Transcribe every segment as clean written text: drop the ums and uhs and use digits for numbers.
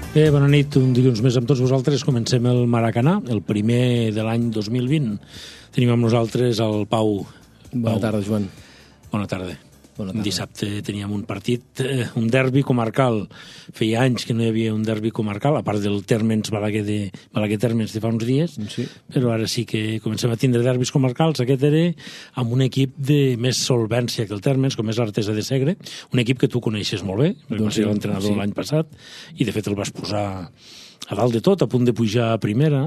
Bé, bona nit, un dilluns més amb tots vosaltres. Comencem el Maracanà, el primer de l'any 2020. Tenim amb nosaltres el Pau. Bona tarda, Joan. Bona tarda. Bona tarda. Dissabte teníem un partit, un derbi comarcal. Feia anys que no hi havia un derbi comarcal, a part del Térmens Balaguer Térmens de fa uns dies, sí. Però ara sí que comencem a tindre derbis comarcals. Aquest era amb un equip de més solvència que el Térmens, com és l'Artesa de Segre, un equip que tu coneixes molt bé, perquè vas ser l'entrenador l'any passat, i de fet el vas posar a dalt de tot, a punt de pujar a primera.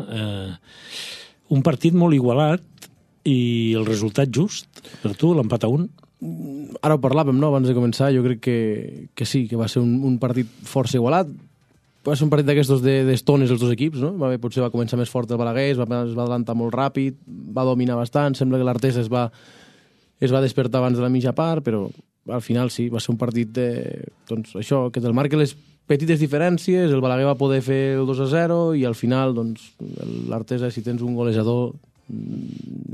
Un partit molt igualat i el resultat just per tu, l'empat a 1. Ara ho parlàvem, no?, abans de començar. Jo crec que sí, que va ser un partit força igualat. Va ser un partit d'aquestos d'estones els dos equips, no? Potser va començar més fort el Balaguer, es va adelantar molt ràpid, va dominar bastant, sembla que l'Artesa es va despertar abans de la mitja part, però al final sí, va ser un partit doncs això, que te'l marca les petites diferències, el Balaguer va poder fer el 2-0 i al final doncs l'Artesa, si tens un golejador,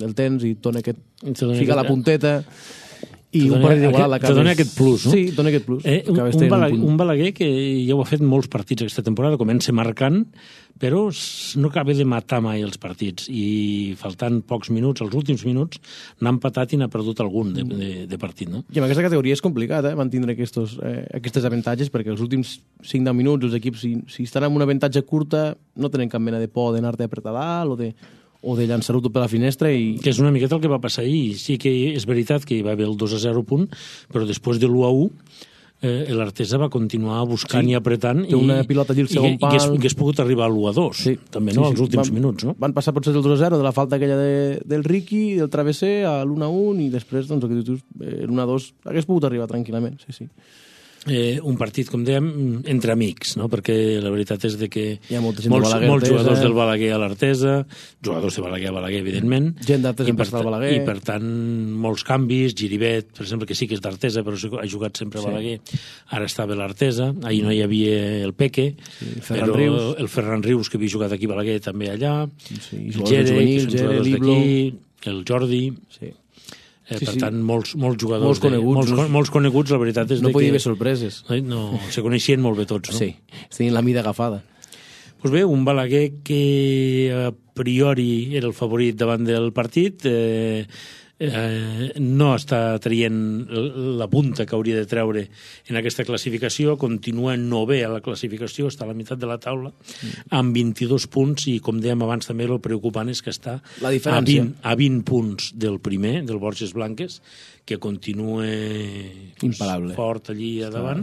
el tens i fica la punteta i un partit igualat l'acabes... Te dona aquest plus, no? Sí, dona aquest plus. Un Balaguer que ja ho ha fet molts partits aquesta temporada, comença marcant, però no acaba de matar mai els partits i faltant pocs minuts, els últims minuts, n'ha empatat i n'ha perdut algun de partit, no? I en aquesta categoria és complicat, mantenir aquestes avantatges, perquè els últims 5-10 minuts els equips, si estan amb un avantatge curta, no tenen cap mena de por d'anar-te a apretar dalt o de llançar-ho tot per la finestra i... Que és una miqueta el que va passar ahir. Sí que és veritat que hi va haver el 2-0 punt, però després de l'1-1 l'Artesa va continuar buscant i apretant té una pilota allí al segon pal i hagués pogut arribar al 1-2 també, no? Als últims minuts, no? Van passar potser del 2-0 de la falta aquella del Riqui, del travesser a l'1-1 i després doncs l'1-2 hagués pogut arribar tranquil·lament, sí. Un partit, com dèiem, entre amics, no? Perquè la veritat és de que hi ha molts jugadors del Balaguer a l'Artesa, jugadors de Balaguer a Balaguer, evidentment, gent d'Artesa al Balaguer, i per tant molts canvis. Giribet, per exemple, que sí que és d'Artesa però ha jugat sempre a Balaguer, ara estava a l'Artesa, ahir no hi havia el Peque, el Ferran Rius, que havia jugat aquí a Balaguer, també allà, el Gere, que són jugadors d'aquí, el Jordi... Per tant, molts jugadors molts coneguts, la veritat és no que... podia haver sorpreses. No, se coneixien molt bé tots, no? Sí, tenien la mida agafada. Doncs bé, un Balaguer que a priori era el favorit davant del partit, no està traient la punta que hauria de treure en aquesta classificació, continua novè a la classificació, està a la meitat de la taula amb 22 punts i, com dèiem abans, també el preocupant és que està a 20 punts del primer, del Borges Blanques, que continua imparable, fort allí a davant,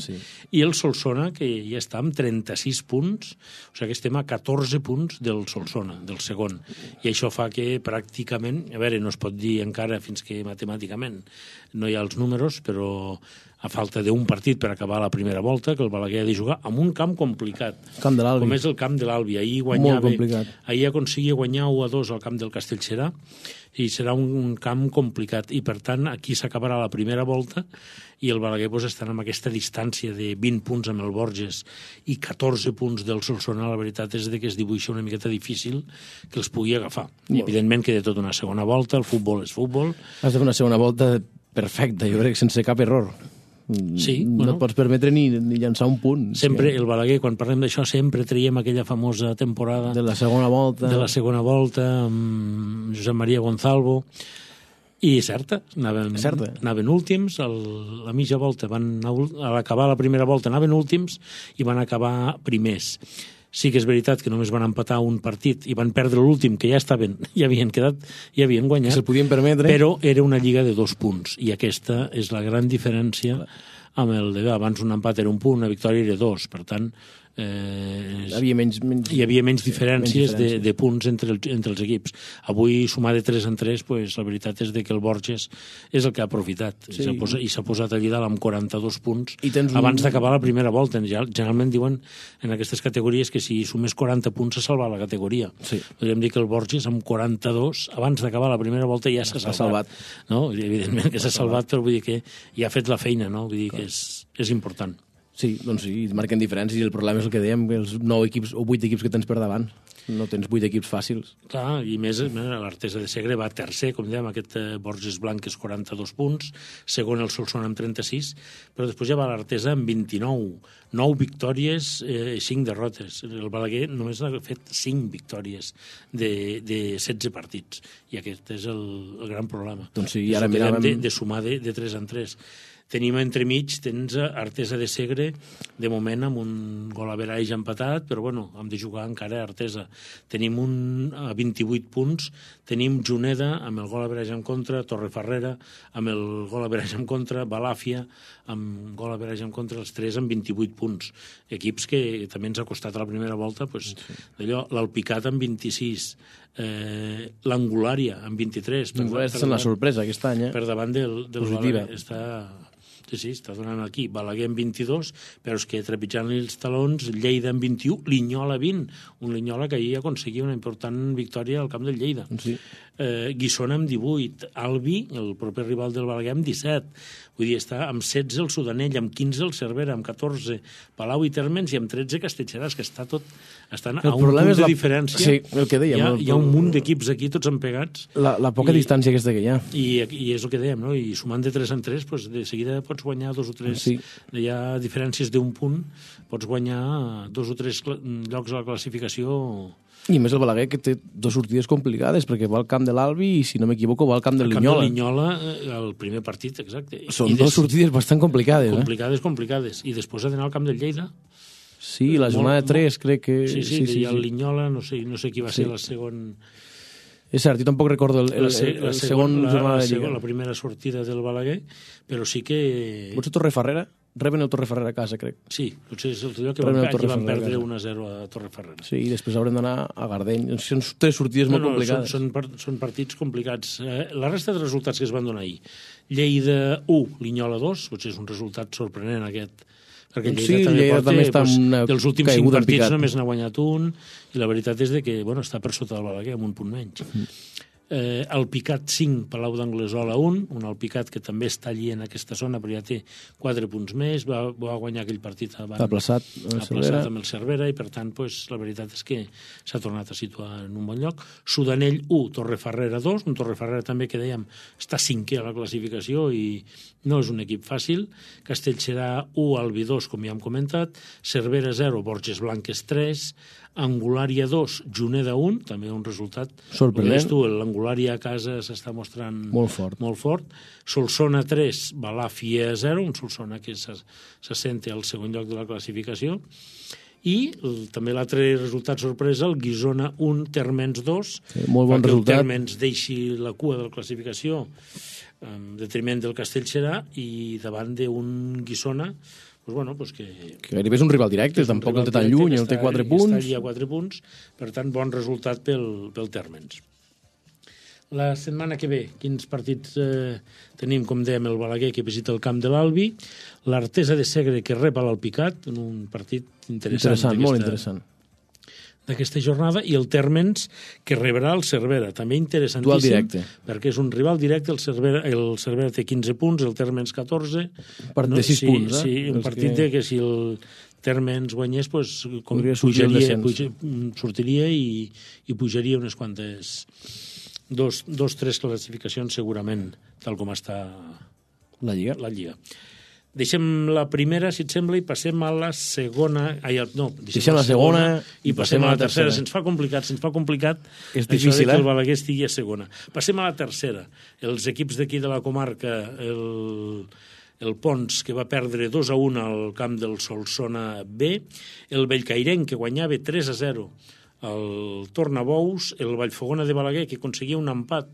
i el Solsona, que ja està amb 36 punts, o sigui que estem a 14 punts del Solsona, del segon, i això fa que pràcticament, a veure, no es pot dir encara fins que matemàticament no hi ha els números, però a falta d'un partit per acabar la primera volta, que el Balaguer ha de jugar en un camp complicat, camp de l'Albi, com és el camp de l'Albi. Ahir aconseguia guanyar 1-2 al camp del Castellserà, i serà un camp complicat, i per tant aquí s'acabarà la primera volta i el Balaguer estarà amb aquesta distància de 20 punts amb el Borges i 14 punts del Solsona. La veritat és que es dibuixa una miqueta difícil que els pugui agafar. I evidentment que de tot una segona volta, el futbol és futbol. Has de fer una segona volta perfecta, jo crec, sense cap error. Sí, no et pots permetre ni llançar un punt. Sempre el Balaguer, quan parlem d'això, sempre traiem aquella famosa temporada de la segona volta amb Josep Maria Gonzalvo, i certa, anaven últims, a la mitja volta a l'acabar la primera volta anaven últims i van acabar primers. Sí que és veritat que només van empatar un partit i van perdre l'últim, que ja havien guanyat, que se'l podien permetre, però era una lliga de 2 punts, i aquesta és la gran diferència amb el de abans. Un empat era un punt, una victòria era 2, per tant hi havia menys diferències de punts entre els equips. Avui, sumar de 3 en 3, la veritat és que el Borges és el que ha aprofitat, i s'ha posat allà dalt amb 42 punts abans d'acabar la primera volta. Generalment diuen en aquestes categories que si sumés 40 punts s'ha salvat la categoria. Podríem dir que el Borges amb 42 abans d'acabar la primera volta ja s'ha salvat. Evidentment que s'ha salvat, però vull dir que ja ha fet la feina, vull dir que és important. Sí, doncs sí, marquen diferències i el problema és el que dèiem, els 9 equips o 8 equips que tens per davant. No tens 8 equips fàcils. Clar, i més l'Artesa de Segre va tercer, com dèiem, aquest Borges Blanques 42 punts, segon el Solsona amb 36, però després ja va l'Artesa amb 29, 9 victòries i 5 derrotes. El Balaguer només ha fet 5 victòries de 16 partits, i aquest és el gran problema. Doncs sí, ara miràvem... De sumar de 3 en 3. Tenim entremig, tens Artesa de Segre, de moment amb un gol average empatat, però bueno, hem de jugar encara a Artesa. Tenim a 28 punts, tenim Juneda amb el gol average en contra, Torrefarrera amb el gol average en contra, Balàfia amb gol average en contra, els 3 amb 28 punts. Equips que també ens ha costat a la primera volta, pues, d'allò, l'Alpicat amb 26, l'Angulària amb 23. L'Angulària està sent la sorpresa aquest any, per davant del Balaguer. Sí, està donant aquí. Balaguer amb 22, però és que trepitjant-li els talons, Lleida amb 21, Linyola 20. Un Linyola que ahir aconseguia una important victòria al camp del Lleida. Sí. Guissona amb 18, Albi, el proper rival del Balaguer, amb 17. Vull dir, està amb 16 el Sudanell, amb 15 el Cervera, amb 14 Palau i Térmens i amb 13 Castellserà. És que està tot... Estan a un punt de diferència. Sí, el que dèiem. Hi ha un munt d'equips aquí, tots empegats. La poca distància aquesta que hi ha. I és el que dèiem, no? I sumant de 3 en 3, doncs de seguida pots guanyar 2 o 3... Sí. Hi ha diferències d'un punt, pots guanyar 2 o 3 llocs a la classificació... I més el Balaguer, que té 2 sortides complicades, perquè va al camp de l'Albi i, si no m'equivoco, va al camp del Linyola. El camp del Linyola, el primer partit, exacte. Són 2 sortides bastant complicades. Complicades. I després ha d'anar al camp del Lleida. Sí, la jornada 3, crec que... Sí, el Linyola, no sé qui va ser la segon... És cert, jo tampoc recordo el segon jornada de Lliga. La primera sortida del Balaguer, però sí que... Potser Torrefarrera? Reben el Torrefarrera a casa, crec. Sí, potser és el lloc que van perdre 1-0 a Torrefarrera. Sí, i després haurem d'anar a Gardeny. Són 3 sortides molt complicades. Són partits complicats. La resta de resultats que es van donar ahir. Lleida 1, Linyola 2, potser és un resultat sorprenent aquest, perquè Lleida també està dels últims 5 partits només n'ha guanyat un, i la veritat és que està per sota del Balaguer, amb un punt menys. Alpicat 5, Palau d'Anglesola 1, un Alpicat que també està allí en aquesta zona, però ja té 4 punts més, va guanyar aquell partit aplaçat amb el Cervera, i per tant la veritat és que s'ha tornat a situar en un bon lloc. Sudanell 1, Torrefarrera 2, un Torrefarrera també que dèiem està 5è a la classificació i no és un equip fàcil. Castellserà 1, Albi 2, com ja hem comentat, Cervera 0, Borges Blanques 3, Angulària 2, Juneda 1, també un resultat sorprenent. L'Angulària a casa s'està mostrant molt fort. Solsona 3, Balàfia 0, un Solsona que s'assenta al segon lloc de la classificació. I també l'altre resultat sorpresa, el Guissona 1, Térmens 2, molt bon resultat. El Térmens deixi la cua de la classificació en detriment del Castellserà i davant d'un Guissona que gairebé és un rival directe, tampoc el té tan lluny, el té 4 punts. Està allà a 4 punts, per tant, bon resultat pel Térmens. La setmana que ve, quins partits tenim? Com dèiem, el Balaguer, que visita el camp de l'Albi, l'Artesa de Segre, que rep a l'Alpicat, en un partit interessant. Molt interessant. D'aquesta jornada, i el Térmens, que rebrà el Cervera, també interessantíssim, perquè és un rival directe. El Cervera té 15 punts, el Térmens 14. Part de 6 punts, Sí, un partit que si el Térmens guanyés, sortiria i pujaria unes quantes... 2-3 classificacions segurament, tal com està la Lliga. Deixem la primera, si et sembla, i passem a la segona... Deixem la segona i passem a la tercera. Se'ns fa complicat. És difícil, que el Balaguer estigui a segona. Passem a la tercera. Els equips d'aquí de la comarca, el Pons, que va perdre 2-1 al camp del Solsona B, el Bellcairenc, que guanyava 3-0 el Tornabous, el Vallfogona de Balaguer, que aconseguia un empat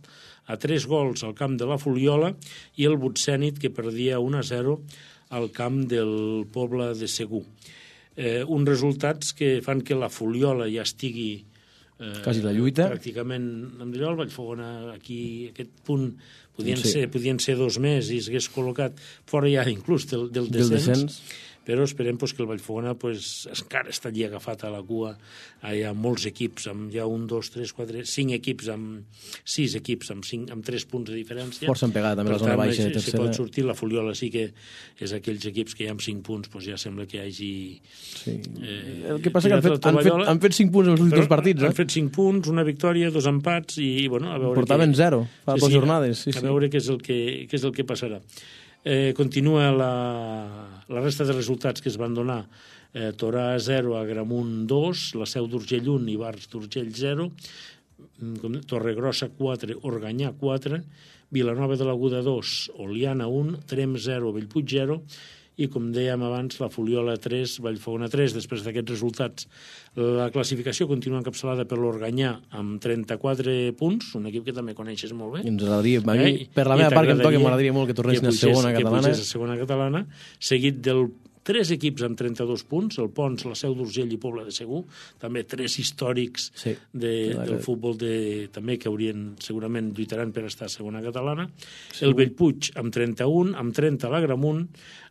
a 3 gols al camp de la Fuliola, i el Butsènit, que perdia 1-0 al camp del poble de Segur. Uns resultats que fan que la Fuliola ja estigui quasi la lluita. Pràcticament amb allò. El Vallfogona, aquí, aquest punt, podien ser 2 més i s'hagués col·locat fora ja inclús del descens. però esperem que el Vallfogona encara està allí agafat a la cua. Hi ha molts equips, hi ha 1, 2, 3, 4, 5 equips, 6 equips amb 3 punts de diferència. Força empegat, també la zona baixa de tercera. Si pot sortir, la Fuliola sí que és aquells equips que hi ha amb 5 punts, ja sembla que hi hagi... Sí. El que passa que han fet 5 punts en els últims partits. Han fet 5 punts, una victòria, 2 empats, i bueno, a veure... Portaven 0 fa 2 jornades. A veure què és el que passarà. Continua la resta de resultats que es van donar. Torà 0, Agramunt 2, la Seu d'Urgell 1, Ivars d'Urgell 0, Torregrossa 4, Organyà 4, Vilanova de l'Aguda 2, Oliana 1, Trem 0, Bellpuig 0, i com dèiem abans, la Fuliola 3, Vallfogona 3. Després d'aquests resultats, la classificació continua encapçalada per l'Organyà amb 34 punts, un equip que també coneixes molt bé. Ens agradaria, per la meva part que em toca, m'agradaria molt que tornessin a segona catalana. Que pugés a segona catalana, seguit del 3 equips amb 32 punts, el Pons, la Seu d'Urgell i Pobla de Segur, també 3 històrics del futbol també que segurament lluitaran per estar a segona catalana. El Bellpuig amb 31, amb 30 l'Agramunt,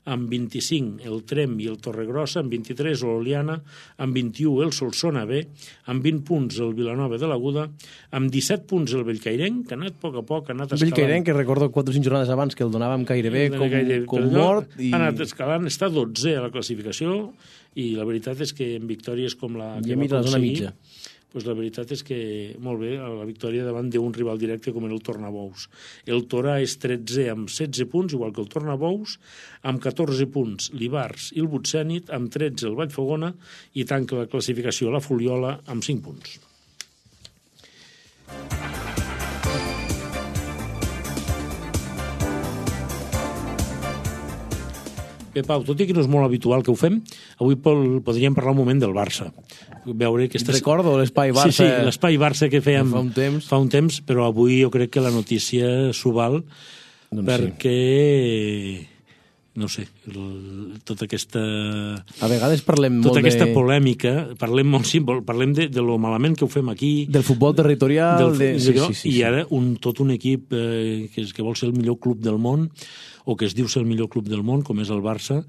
amb 25 el Trem i el Torregrossa, amb 23 l'Oliana, amb 21 el Solsona B, amb 20 punts el Vilanova de l'Aguda, amb 17 punts el Bellcairenc, que ha anat a poc, ha anat escalant. Bellcairenc, que recordo 4 o 5 jornades abans que el donàvem gairebé com mort. Ha anat escalant, està 12 a la classificació, i la veritat és que en victòries com la que va aconseguir, la veritat és que molt bé, la victòria davant d'un rival directe com era el Tornabous. El Torà és 13 amb 16 punts, igual que el Tornabous, amb 14 punts l'Ivars i el Butsènit, amb 13 el Vallfogona, i tanca la classificació la Fuliola amb 5 punts. Bé, Pau, tot i que no és molt habitual que ho fem, avui podríem parlar un moment del Barça. Veure que recordo l'espai Barça. Sí, l'espai Barça que fèiem fa un temps, però avui jo crec que la notícia s'ho val, perquè, no sé, tota aquesta... A vegades parlem molt tota aquesta polèmica, parlem de lo malament que ho fem aquí. Del futbol territorial. I ara tot un equip que vol ser el millor club del món, o que es diu ser el millor club del món, com és el Barça,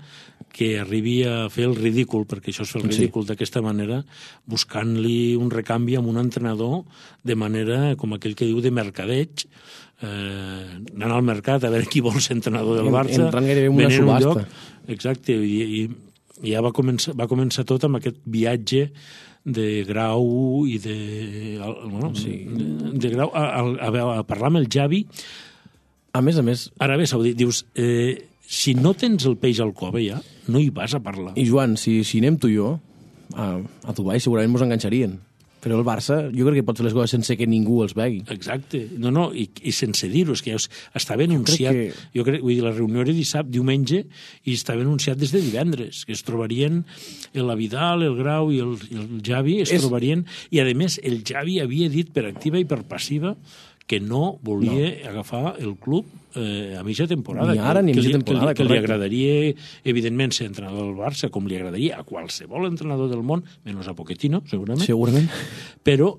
que arribi a fer el ridícul, perquè això és fer el ridícul d'aquesta manera, buscant-li un recanvi amb un entrenador de manera, com aquell que diu, de mercadeig, anant al mercat a veure qui vol ser entrenador del Barça, entrant gairebé en una subhasta. Exacte, i ja va començar tot amb aquest viatge de Grau i de Grau a parlar amb el Xavi. A més... Ara bé, s'ho dius, si no tens el peix al cove ja, no hi vas a parlar. I Joan, si anem tu i jo a Dubai, segurament ens enganxarien. Però el Barça, jo crec que pot fer les coses sense que ningú els vegi. Exacte. No, i sense dir-ho, és que estava anunciat. Jo crec que la reunió era diumenge, i estava anunciat des de divendres, que es trobarien la Vidal, el Grau i el Xavi, trobarien, i a més el Xavi havia dit per activa i per passiva que no volia agafar el club a mitja temporada. Ni ara ni a mitja temporada, que li agradaria, evidentment, ser entrenador del Barça, com li agradaria a qualsevol entrenador del món, menys a Pochettino, segurament. Però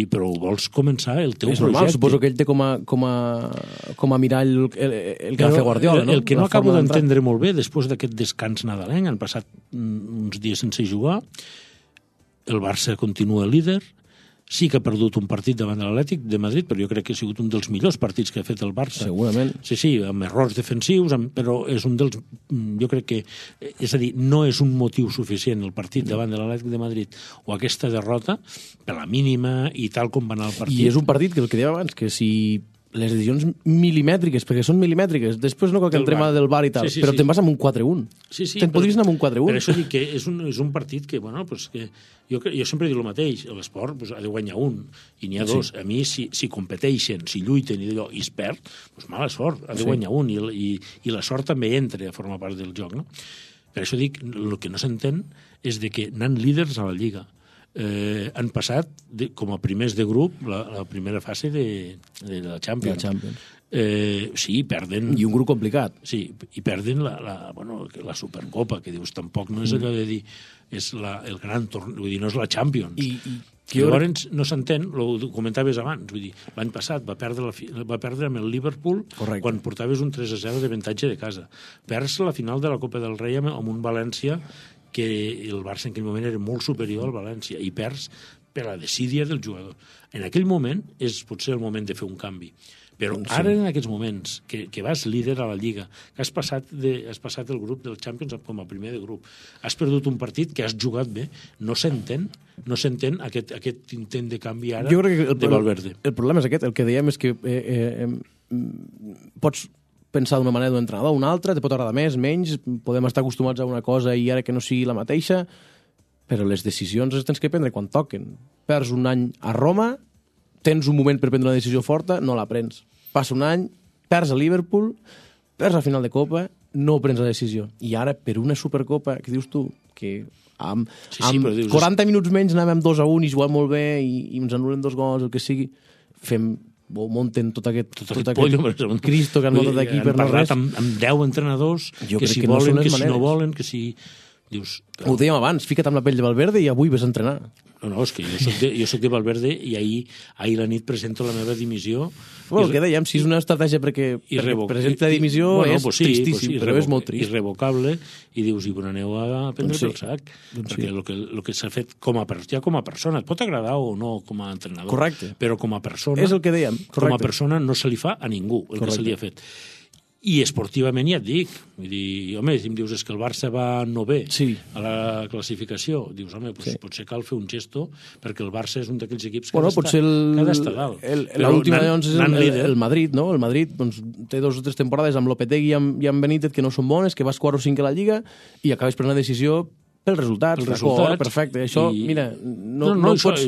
però vols començar el teu projecte. És normal, suposo que ell té com a mirall el que va fer Guardiola, no? El que no acabo d'entendre molt bé, després d'aquest descans nadalenc, han passat uns dies sense jugar, el Barça continua líder. Sí que ha perdut un partit davant de l'Atlètic de Madrid, però jo crec que ha sigut un dels millors partits que ha fet el Barça. Segurament. Sí, amb errors defensius, però és un dels... Jo crec que... És a dir, no és un motiu suficient el partit davant de l'Atlètic de Madrid o aquesta derrota, per la mínima i tal com va anar el partit. I és un partit que el que dèiem abans, que si les decisions milimètriques, perquè són milimètriques, després no cal que entrem a del VAR i tal, però te'n vas amb un 4-1. Te'n podries anar amb un 4-1. Per això dic que és un partit que, bueno, pues que jo sempre dic el mateix, l'esport pues, ha de guanyar un, i n'hi ha dos. A mi, si competeixen, si lluiten i d'allò, i es perd, pues mala sort, ha de guanyar un, i la sort també entra a formar part del joc, no? Per això dic, el que no s'entén és de que anant líders a la Lliga, han passat com a primers de grup la primera fase de la Champions. Sí, perden... I un grup complicat. Sí, i perden la Supercopa, que dius, tampoc no és allò de dir és el gran torneig, vull dir, no és la Champions. Llavors no s'entén, ho comentaves abans, vull dir, l'any passat va perdre amb el Liverpool quan portaves un 3-0 d'avantatge de casa. Perds la final de la Copa del Rei amb un València que el Barça en aquell moment era molt superior al València i perds per la desídia del jugador. En aquell moment és potser el moment de fer un canvi. Però ara, en aquests moments, que vas líder a la Lliga, que has passat el grup del Champions com a primer de grup, has perdut un partit que has jugat bé, no s'entén aquest intent de canvi ara de Valverde. El problema és aquest, el que dèiem és que pots pensar d'una manera d'un entrenador, una altra, te pot agradar més, menys, podem estar acostumats a una cosa i ara que no sigui la mateixa, però les decisions les tens que prendre quan toquen. Perds un any a Roma, tens un moment per prendre una decisió forta, no la prens. Passa un any, perds a Liverpool, perds la final de Copa, no prens la decisió. I ara, per una Supercopa, que dius tu, que amb 40 minuts menys anàvem 2-1 i jugàvem molt bé i ens anulen 2 gols, el que sigui, munten tot aquest Cristo que han muntat aquí per no res. Amb 10 entrenadors, que si volen, que si no volen, que si... Ho dèiem abans, fica't amb la pell de Valverde i avui ves a entrenar. No, és que jo soc de Valverde i ahir la nit presento la meva dimissió. Bueno, el que dèiem, si és una estratègia perquè presenta la dimissió és tristíssim, però és molt trist. Irrevocable, i dius, i aneu a prendre pel sac. Perquè el que s'ha fet com a persona, et pot agradar o no com a entrenador. Correcte. Però com a persona, és el que dèiem. Com a persona no se li fa a ningú el que se li ha fet. I esportivament ja et dic, vull dir, home, si em dius és que el Barça va 9è a la classificació, dius, home, potser cal fer un gesto perquè el Barça és un d'aquells equips que ha d'estar dalt. L'última, doncs, és el Madrid, no? El Madrid té 2 o 3 temporades amb Lopetegui i amb Benítez que no són bones, que vas 4 o 5 a la Lliga i acabes prenent una decisió pels resultats. Perfecte. Això, mira, no es pot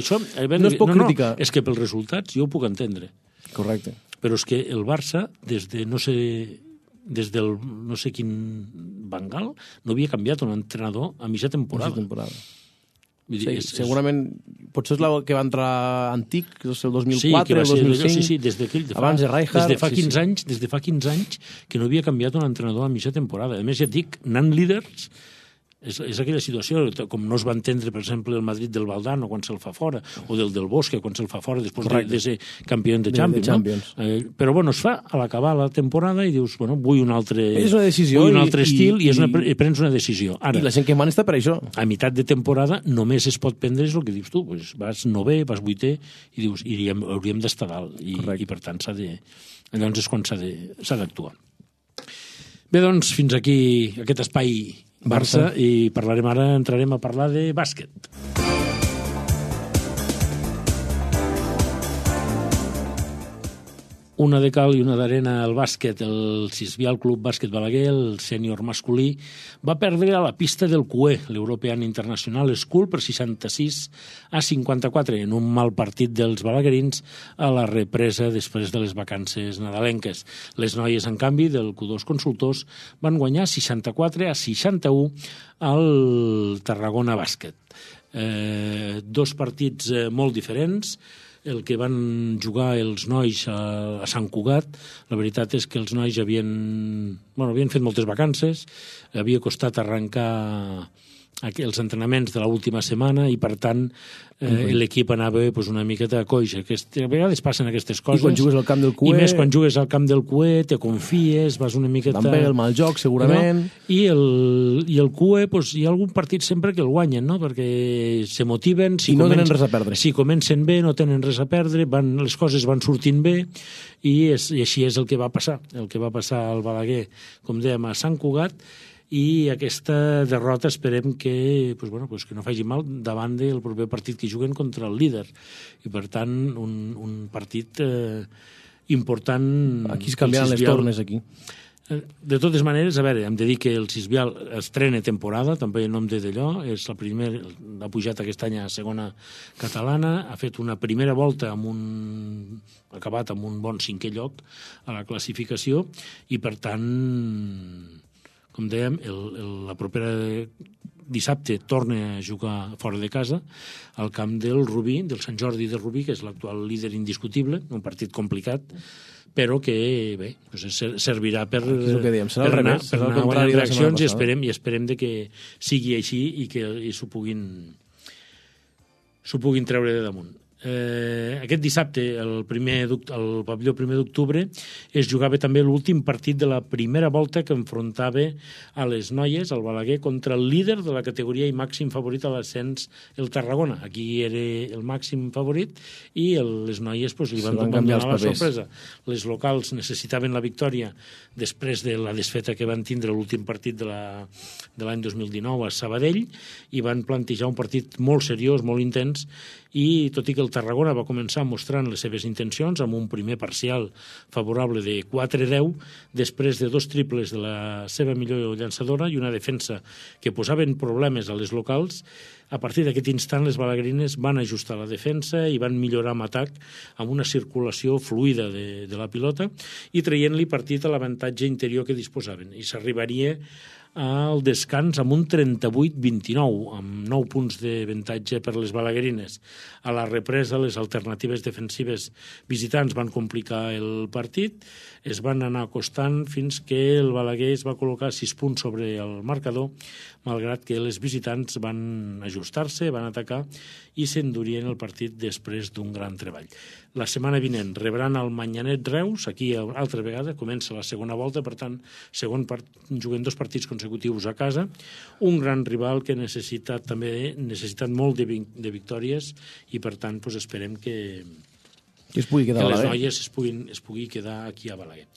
criticar. És que pels resultats jo ho puc entendre. Correcte. Però és que el Barça, des del no sé quin Bengal, no havia canviat un entrenador a mitja temporada. Segurament, potser és el que va entrar antic, és el 2004, el 2005. Sí, abans de Rijkaard. Des de fa 15 anys que no havia canviat un entrenador a mitja temporada. A més, ja et dic, anant líders... És aquella situació, com no es va entendre, per exemple, el Madrid del Valdano quan se'l fa fora, o del Bosque quan se'l fa fora després de ser campió de Champions. Però bueno, es fa a l'acabar la temporada i dius, bueno, vull un altre estil i prens una decisió. I la gent que mana està per això. A meitat de temporada només es pot prendre el que dius tu, vas 9è, vas 8è i dius, hauríem d'estar dalt i per tant llavors és quan s'ha d'actuar. Bé, doncs, fins aquí aquest espai Barça i entrarem a parlar de bàsquet. Una de cal i una d'arena al bàsquet. El Sisbial Club Bàsquet Balaguer, el sènior masculí, va perdre a la pista del CUE, l'European International School, per 66-54, en un mal partit dels balaguerins a la represa després de les vacances nadalenques. Les noies, en canvi, del Q2 Consultors, van guanyar 64-61 al Tarragona Bàsquet. 2 partits molt diferents. El que van jugar els nois a Sant Cugat, la veritat és que els nois havien fet moltes vacances, havia costat arrencar els entrenaments de l'última setmana i, per tant, l'equip anava una miqueta a coixa. A vegades passen aquestes coses. I quan jugues al camp del CUE... I més quan jugues al camp del CUE, te confies, vas una miqueta... Van bé el mal joc, segurament. No? I el CUE, hi ha algun partit sempre que el guanyen, no? Perquè se motiven... I no tenen res a perdre. Si comencen bé, no tenen res a perdre, les coses van sortint bé, i així és el que va passar. El que va passar al Balaguer, com dèiem, a Sant Cugat, i aquesta derrota esperem que no faci mal davant del proper partit que juguen contra el líder. I, per tant, un partit important... Aquí es canviaran les tornes, aquí. De totes maneres, a veure, hem de dir que el Sisbial estrena temporada, també en nom d'allò, és la primera, ha pujat aquest any a segona catalana, ha fet una primera volta acabat amb un bon 5è lloc a la classificació i, per tant, com dèiem, la propera dissabte torna a jugar fora de casa al camp del Rubí, del Sant Jordi de Rubí, que és l'actual líder indiscutible, un partit complicat, però que bé, servirà per anar guanyant reaccions i esperem de que sigui així i que s'ho puguin s'ho puguin treure de damunt. Aquest dissabte, al pavelló 1 d'octubre, es jugava també l'últim partit de la primera volta que enfrontava a les noies, al Balaguer, contra el líder de la categoria i màxim favorit a l'ascens, el Tarragona. Aquí era el màxim favorit i les noies li van donar la sorpresa. Les locals necessitaven la victòria després de la desfeta que van tindre l'últim partit de l'any 2019 a Sabadell i van plantejar un partit molt seriós, molt intens, i tot i que el Tarragona va començar mostrant les seves intencions amb un primer parcial favorable de 4-10, després de 2 triples de la seva millor llançadora i una defensa que posaven problemes a les locals, a partir d'aquest instant les balaguerines van ajustar la defensa i van millorar amb atac amb una circulació fluida de la pilota i traient-li partit a l'avantatge interior que disposaven. I s'arribaria al descans amb un 38-29, amb 9 punts d'avantatge per les balaguerines. A la represa, les alternatives defensives visitants van complicar el partit, es van anar acostant fins que el Balaguer es va col·locar 6 punts sobre el marcador, malgrat que les visitants van ajustar-se, van atacar i s'endurien el partit després d'un gran treball. La setmana vinent rebran el Manyanet Reus, aquí altra vegada, comença la segona volta, per tant, juguen 2 partits consecutius a casa, un gran rival que ha necessitat molt de victòries i, per tant, esperem que es pugui quedar les noies es pugui quedar aquí a Balaguer.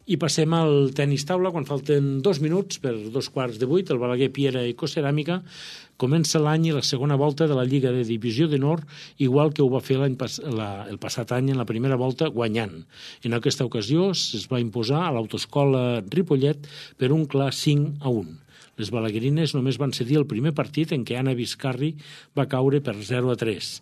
I passem al tenis taula, quan falten 2 minuts per 7:15, el Balaguer Piera Ecoceràmica comença l'any i la segona volta de la Lliga de Divisió d'Honor, igual que ho va fer el passat any en la primera volta, guanyant. En aquesta ocasió es va imposar a l'Autoescola Ripollet per un clar 5-1. Les balaguerines només van cedir el primer partit en què Anna Vizcarri va caure per 0-3.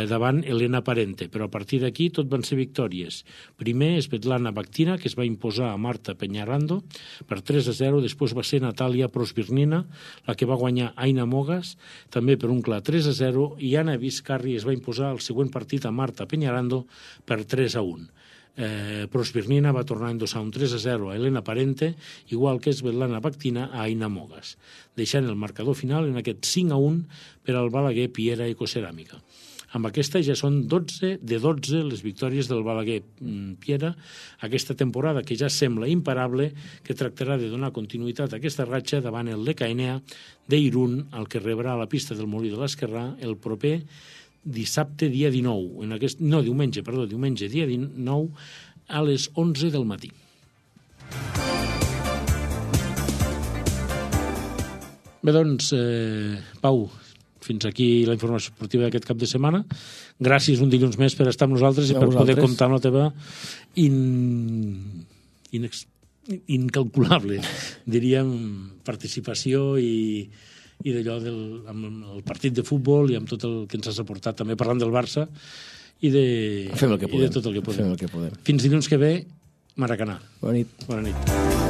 Davant Elena Parente, però a partir d'aquí tot van ser victòries. Primer Svetlana Bakhtina, que es va imposar a Marta Peñarando per 3-0, després va ser Natàlia Prosvirnina, la que va guanyar Aina Mogas, també per un clar 3-0, i Anna Vizcarri es va imposar el següent partit a Marta Peñarando per 3-1. Prosvirnina va tornar a endossar un 3-0 a Elena Parente, igual que Svetlana Bakhtina a Aina Mogas, deixant el marcador final en aquest 5-1 per al Balaguer Piera Ecoceràmica. Amb aquesta ja són 12 de 12 les victòries del Balaguer Piera aquesta temporada, que ja sembla imparable, que tractarà de donar continuïtat a aquesta ratxa davant el Lecaenea d'Irun, el que rebrà a la pista del Molí de l'Esquerrà el proper dissabte dia 19, diumenge dia 19 a les 11 del matí. Bé, doncs, Pau, fins aquí la informació esportiva d'aquest cap de setmana. Gràcies un dilluns més per estar amb nosaltres i per poder comptar amb la teva incalculable, diríem, participació i d'allò amb el partit de futbol i amb tot el que ens has aportat, també parlant del Barça i de tot el que podem. Fins dilluns que ve, Maracanà. Bona nit. Bona nit.